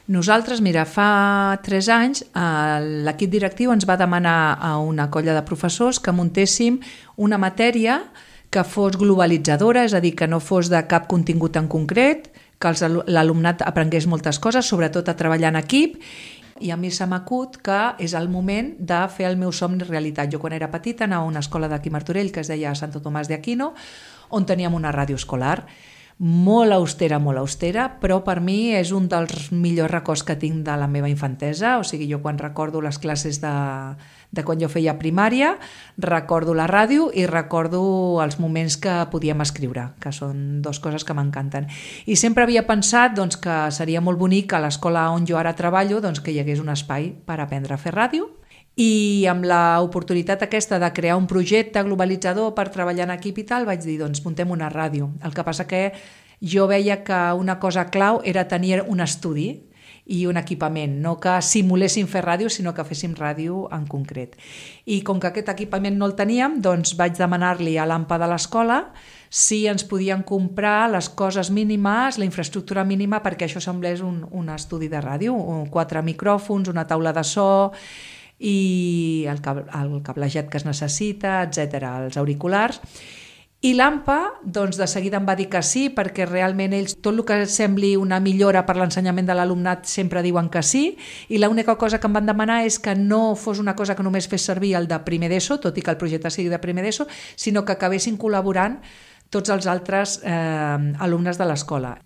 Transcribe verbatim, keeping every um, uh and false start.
Nosaltres, mira, fa tres anys l'equip directiu ens va demanar a una colla de professors que muntéssim una matèria que fos globalitzadora, és a dir, que no fos de cap contingut en concret, que l'alumnat aprengués moltes coses, sobretot a treballar en equip, i a mi se m'acut que és el moment de fer el meu somni realitat. Jo quan era petita anava a una escola d'aquí Martorell que es deia Santo Tomàs de Aquino, on teníem una ràdio escolar, molt austera, molt austera, però per mi és un dels millors records que tinc de la meva infantesa. O sigui, jo quan recordo les classes de, de quan jo feia primària, recordo la ràdio i recordo els moments que podíem escriure, que són dues coses que m'encanten. I sempre havia pensat doncs, que seria molt bonic a l'escola on jo ara treballo doncs, que hi hagués un espai per aprendre a fer ràdio. I amb l'oportunitat aquesta de crear un projecte globalitzador per treballar en equip i tal, vaig dir, doncs muntem una ràdio. El que passa que jo veia que una cosa clau era tenir un estudi i un equipament, no que simuléssim fer ràdio, sinó que féssim ràdio en concret. I com que aquest equipament no el teníem, doncs vaig demanar-li a l'A M P A de l'escola si ens podien comprar les coses mínimes, la infraestructura mínima perquè això semblés un, un estudi de ràdio, quatre micròfons, una taula de so i el, el cablejat que es necessita, etcètera, els auriculars. I l'A M P A doncs, de seguida em va dir que sí, perquè realment ells, tot el que sembli una millora per l'ensenyament de l'alumnat sempre diuen que sí, i l'única cosa que em van demanar és que no fos una cosa que només fes servir el de primer d'ESO, tot i que el projecte sigui de primer d'ESO, sinó que acabessin col·laborant tots els altres eh, alumnes de l'escola.